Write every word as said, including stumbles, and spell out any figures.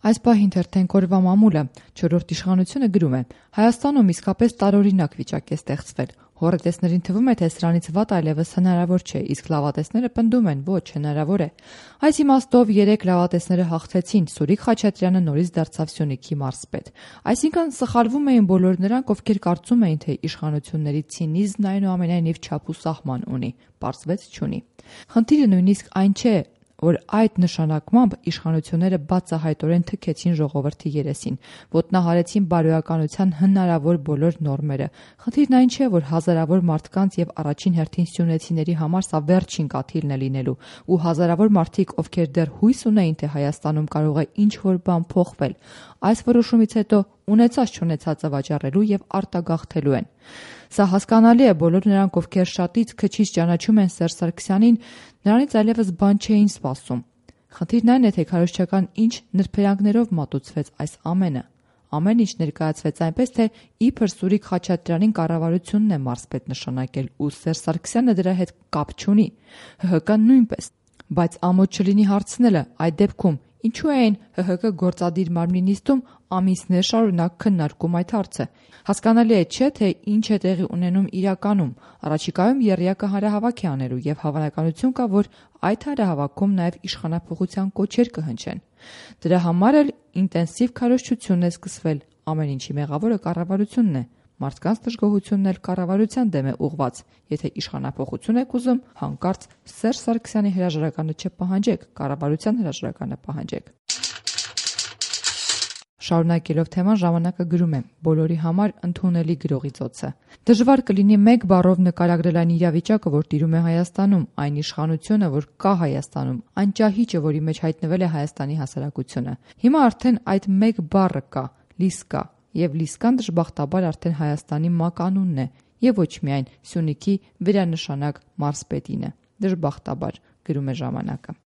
Այս պահին թերթենք օրվա մամուլը չորրորդ իշխանությունը գրում է. Հայաստանում իսկապես տարօրինակ վիճակ է ստեղծվել։ Հոռետեսներին թվում է, թե սրանից վատ այլևս հնարավոր չէ, իսկ լավատեսները պնդում են՝ ոչ, հնարավոր է։ Այս իմաստով երեք լավատեսները հաղթեցին, Սուրիկ Խաչատրյանը նորից դարձավ Սյունիքի մարզպետ։ Այսինքն սխալվում էին բոլոր նրանք, ովքեր կարծում էին, թե իշխանությունների ցինիզմն այնուամենայնիվ չափ ու սահման ունի, պարզվեց չունի։ Խնդիրը նույնիսկ այն չէ, որ այդ նշանակմամբ իշխանությունները բացահայտորեն թքեցին ժողովրդի երեսին, ոտնահարեցին բարոյականության հնարավոր բոլոր նորմերը։ Խնդիրն այն չէ, որ հազարավոր մարդկանց եւ առաջին հերթին սյունեցիների համար սա վերջին կաթիլն է լինելու, ու հազարավոր մարդիկ, ովքեր դեռ հույս ունեին, թե Հայաստանում կարող է ինչ-որ բան փոխվել, այս որոշումից հետո ունեցած չունեցածը վաճառելու եւ արտագաղթելու են։ Սա հասկանալի է, բոլոր նրանք, ովքեր շատից քչից ճանաչում են Սերժ Սարգսյանին, նրանից այլևս բան չէին սպասում։ Խնդիրն այն է, թե քարոզչական ինչ նրբերանգներով մատուցվեց այս ամենը։ Ամեն ինչ ներկայացվեց այնպես, թե իբր Սուրիկ Խաչատրյանին կառավարությունն է մարզպետ նշանակել ու Սերժ Սարգսյանը դրա հետ կապ չունի, ՀՀԿ նույնպես, բայց ամոթ չլինի հարցնելը, այդ դեպքում ինչու էին ՀՀԿ գործադիր մարմնի նիստում ամիսներ շարունակ քննարկում այդ հարցը։ Հասկանալի է, չէ՞, թե ինչ է տեղի ունենում իրականում։ Առաջիկայում եռյակը հանրահավաք է անելու եւ հավանականություն կա, որ այդ հանրահավաքում նաեւ իշխանափոխության կոչեր կհնչեն։ Դրա համար էլ ինտենսիվ քարոզչություն է սկսվել։ Ամեն ինչի մեղավորը կառավարությունն է։ Մարդկանց դժգոհությունն էլ կառավարության դեմ է ուղված։ Եթե իշխանափոխություն եք ուզում, հանկարծ Սերժ Սարգսյանի հրաժարականը չպահանջեք, կառավարության հրաժարականը պահանջեք։ Շարունակելով թեման, ժամանակը գրում է. բոլորի համար ընդունելի գրողի ծոցը։ Դժվար կլինի մեկ բառով նկարագրել այն իրավիճակը, որ տիրում է Հայաստանում, այն իշխանությունը, որ կա Հայաստանում, այն ճահիճը, որի մեջ հայտնվել է Հայաստանի հասարակությունը։ Հիմա արդեն այդ մեկ բառը կա՝ Լիսկա, եւ Լիսկան դժբախտաբար արդեն Հայաստանի մականունն է, եւ ոչ միայն Սյունիքի վերանշանակ մարզպետինը։ Դժբախտաբար, գրում է ժամանակը։